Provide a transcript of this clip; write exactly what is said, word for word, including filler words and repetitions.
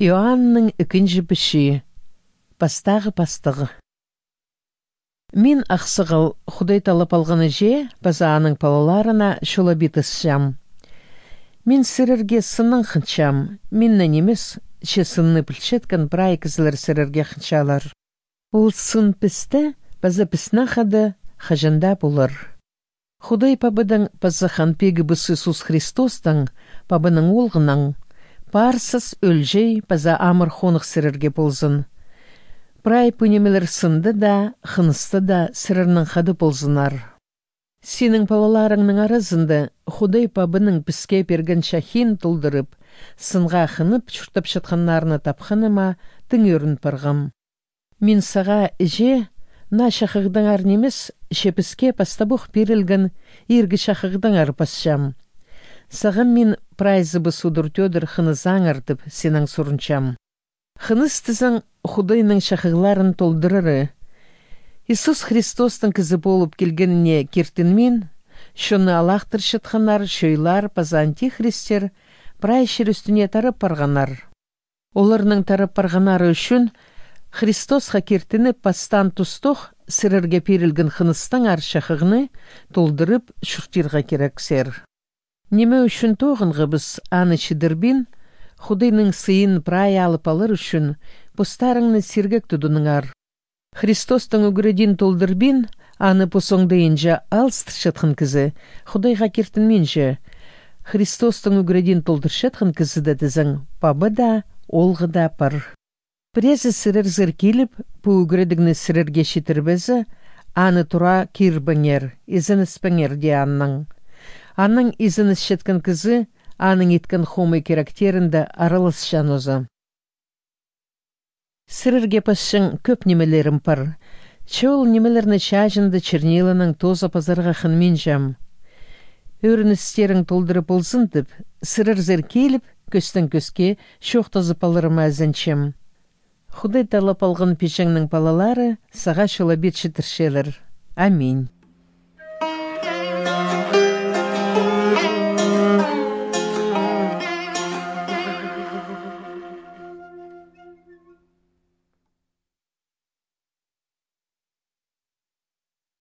Иоанның ікінҷі пічии. Пастағы пастығ. Мин, ахсығал, Худай таллап алған іҷе паза аның палаларына чолабитісчем. Мин сірерге сыннаң хынчам, миннең нимес, че сынны пілчеткен прай кізілер сірерге хынчалар. Ол сын пісте паза піснең хада хаҷан даа полар. Худай Пабадаң паза Хан Пигібіс Иисус Христостаң, Пабаның Оолғынаң, парсас ӧлҷей паза амыр хоных сірерге ползын. Прай пу нимелер сында даа, хыныста даа сірернең хада ползыннар. Синің палаларыңның аразында Худай Пабаның піске пирген чахиин толдырып, сынға хынып чуртапчатханнарны тапханыма тың ӧрін парғам. Мин сағаа, іҷе, наа чахығдаңар нимес, че піске пастабох пирілген иргі чахығдаңар пасчам. Сағам мин прайзыбыс удур-тӧдір хынызаңар тіп синең сурынчам. Хыныс тізең Худайның чахығларын толдырары. Иисус Христостың кізі полып килгеніне киртінмин, чонны алахтырчатханнар, чойлар паза антихристтер прай чир ӱстӱне тарап парғаннар. Оларның тарап парғаннары ӱчӱн Христосха киртініп, пастаан тустох сірерге пирілген хыныстаңар чахығны толдырып чуртирға кирексер. Ниме ӱчӱн тоғынғабыс, аны чідірбин, Худайның сыйын прай алып алар ӱчӱн постарыңны сиргек тудыныңар. Христостың ӱгредиин толдырбин, аны пос оңдайынҷа алыстырчатхан кізі Худайға киртінминче. Христостың ӱгредиин толдырчатхан кізіде тізең Паба даа, Оолғы даа пар. Пірезі сірерзер киліп, пу ӱгредігні сірерге читірбезе, аны тура кирбеңер, изенеспеңер, дее аннаң. Аннаң изенісчеткен кізі аның иткен хомай киректерінде араласчаң оза. Сірерге пасчаң кӧп нимелерім пар. Че ол нимелерні чааҷында черниланаң тооза пазарға хынминчам. Ӧріністерің толдыра ползын тіп, сірерзер киліп, кӧстең кӧске чоохтазып аларыма ізенчем. Худай таллап алған пиҷеңнің палалары сағаа чолабит читірчелер. Аминь.